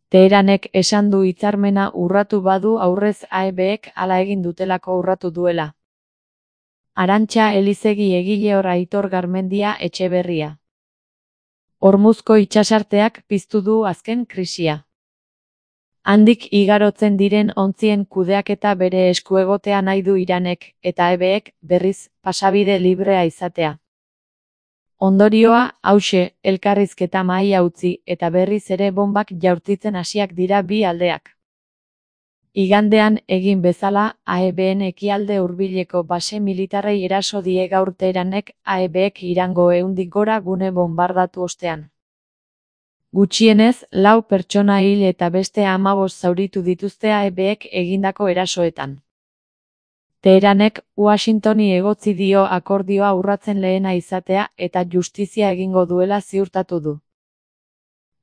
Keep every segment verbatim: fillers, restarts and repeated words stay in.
Teheranek esan du hitzarmena urratu badu aurrez A E Bek hala egin dutelako urratu duela. Arantxa Elizegi Egileor Aitor Garmendia Etxeberria. Hormuzko itsasarteak piztu du azken krisia. Handik igarotzen diren ontzien kudeaketa bere esku egotea nahi du Iranek, eta A E Bek, berriz, pasabide librea izatea. Ondorioa, hauxe, elkarrizketa mahaia utzi, eta berriz ere bombak jaurtitzen hasiak dira bi aldeak. Igandean egin bezala, A E Bn ekialde hurbileko base militarrei eraso die gaur Teheranek A E Bek Irango ehundik gora gune bonbardatu ostean. Gutxienez, lau pertsona hil eta beste hamabost zauritu dituzte A E Bek egindako erasoetan. Teheranek Washingtoni egotzi dio akordioa urratzen lehena izatea eta justizia egingo duela ziurtatu du.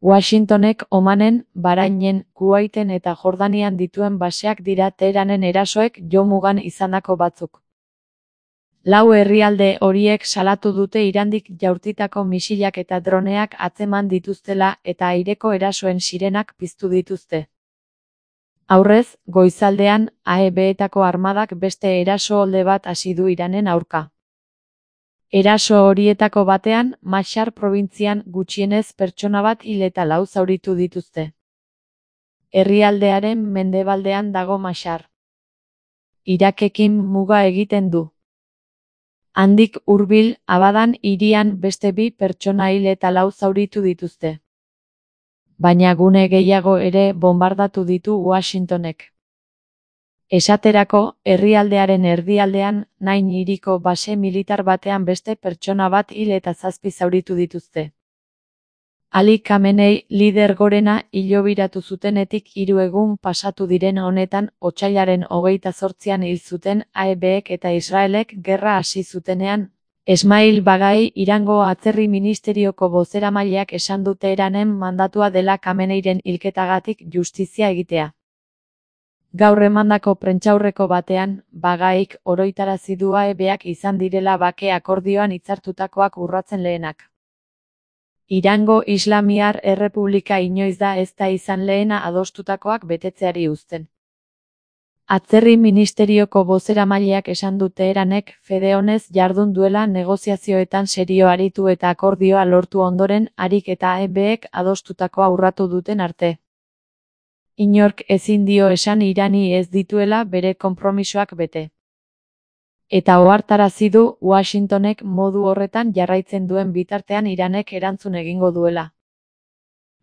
Washingtonek Omanen, Bahrainen, Kuwaiten eta Jordanian dituen baseak dira Teheranen erasoek jomugan izandako batzuk. Lau herrialde horiek salatu dute Irandik jaurtitako misilak eta droneak atzeman dituztela eta aireko erasoen sirenak piztu dituzte. Aurrez, goizaldean, A E Betako armadak beste eraso-olde bat hasi du Iranen aurka. Eraso horietako batean, Mashhad probintzian gutxienez pertsona bat hil eta lau zauritu dituzte. Herrialdearen mendebaldean dago Mashhad. Irakekin muga egiten du. Handik hurbil, Abadan hirian beste bi pertsona hil eta lau zauritu dituzte. Baina gune gehiago ere bonbardatu ditu Washingtonek. Esaterako, herrialdearen erdialdean, Nain hiriko base militar batean beste pertsona bat hil eta zazpi zauritu dituzte. Ali Khamenei lider gorena hilobiratu zutenetik hiru egun pasatu diren honetan, otsailaren hogeita zortzian hil zuten A E Bek eta Israelek gerra hasi zutenean, Esmail Bagai Irango atzerri ministerioko bozeramaileak esan du Teheranen mandatua dela Khameneiren hilketagatik justizia egitea. Gaur emandako prentsaurreko batean, Bagaik oroitarazi du A E Bak izan direla bake akordioan hitzartutakoak urratzen lehenak. Irango Islamiar Errepublika inoiz da ez da izan lehena adostutakoak betetzeari uzten. Atzerri ministerioko bozeramaileak esan du Teheranek fede onez jardun duela negoziazioetan serio aritu eta akordioa lortu ondoren harik eta A E Bek adostutakoa urratu duten arte. Inork ezin dio esan Irani ez dituela bere konpromisoak bete. Eta ohartarazi du Washingtonek modu horretan jarraitzen duen bitartean Iranek erantzun egingo duela.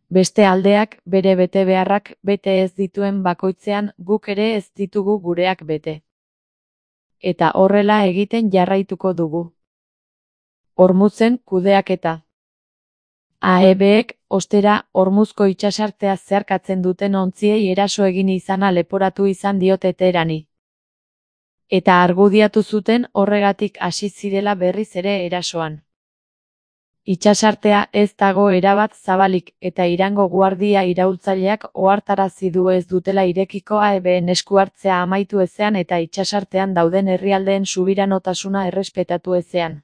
Beste aldeak bere betebeharrak bete ez dituen bakoitzean guk ere ez ditugu gureak bete. Eta horrela egiten jarraituko dugu. Hormuzen kudeaketa. A E Bek, ostera, Hormuzko itsasartea zeharkatzen duten ontziei eraso egin izana leporatu izan diote Teherani. Eta argudiatu zuten horregatik hasi zirela berriz ere erasoan. Itsasartea ez dago erabat zabalik eta Irango guardia iraultzaileak ohartarazi du ez dutela irekiko A E Ben esku hartzea amaitu ezean eta itsasartean dauden herrialdeen subiranotasuna errespetatu ezean.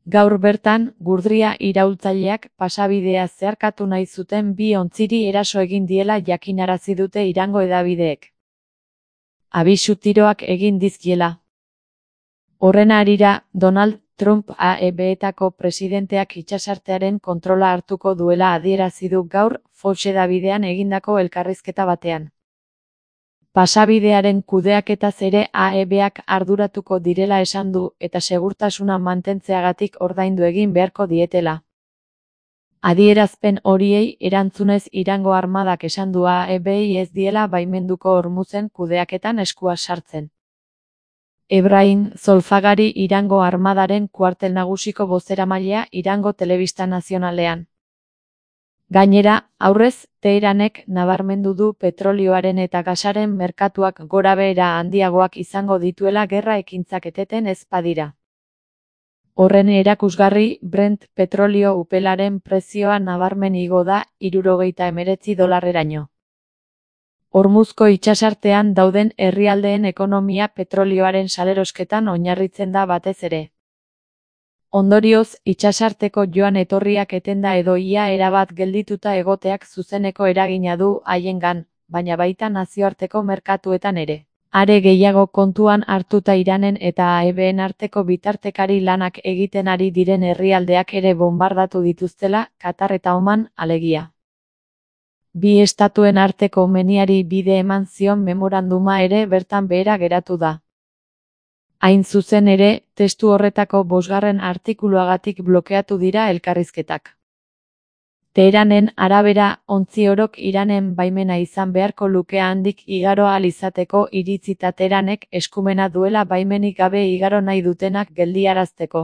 Gaur bertan, gurdria iraultzaileak pasabidea zeharkatu nahi zuten bi ontziri eraso egin diela jakinarazi dute Irango hedabideek. Abisu tiroak egin dizkiela. Horren harira, Donald Trump A E Betako presidenteak itsasartearen kontrola hartuko duela adierazi du gaur Fox hedabidean egindako elkarrizketa batean. Pasabidearen kudeaketaz ere A E Bak arduratuko direla esan du eta segurtasuna mantentzeagatik ordaindu egin beharko dietela. Adierazpen horiei erantzunez Irango armadak esan du A E Bei ez diela baimenduko Hormuzen kudeaketan eskua sartzen. Ebrahim Zolfagari Irango armadaren kuartel nagusiko bozeramailea Irango Telebista Nazionalean. Gainera, aurrez, Teheranek nabarmendu du petrolioaren eta gasaren merkatuak gorabehera handiagoak izango dituela gerra ekintzak eteten ez badira. Horren erakusgarri, Brent petrolio upelaren prezioa nabarmen igo da hirurogeita hemeretzi dolarreraino. Hormuzko itsasartean dauden herrialdeen ekonomia petrolioaren salerosketan oinarritzen da batez ere. Ondorioz, itsasarteko joan etorriak etenda edo ia erabat geldituta egoteak zuzeneko eragina du haiengan, baina baita nazioarteko merkatuetan ere. Are gehiago kontuan hartuta Iranen eta A E Bn arteko bitartekari lanak egiten ari diren herrialdeak ere bonbardatu dituztela, Katar eta Oman, alegia. Bi estatuen arteko meniari bide eman zion memoranduma ere bertan behera geratu da. Hain zuzen ere, testu horretako bosgarren artikuluagatik blokeatu dira elkarrizketak. Teheranen arabera, ontzi orok Iranen baimena izan beharko luke handik igaro ahal izateko iritzita Teheranek eskumena duela baimenik gabe igaro nahi dutenak geldiarazteko.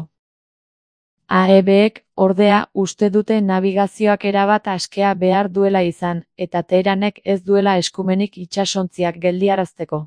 A E Bek, ordea, uste dute nabigazioak erabat askea behar duela izan, eta Teheranek ez duela eskumenik itsasontziak geldiarazteko.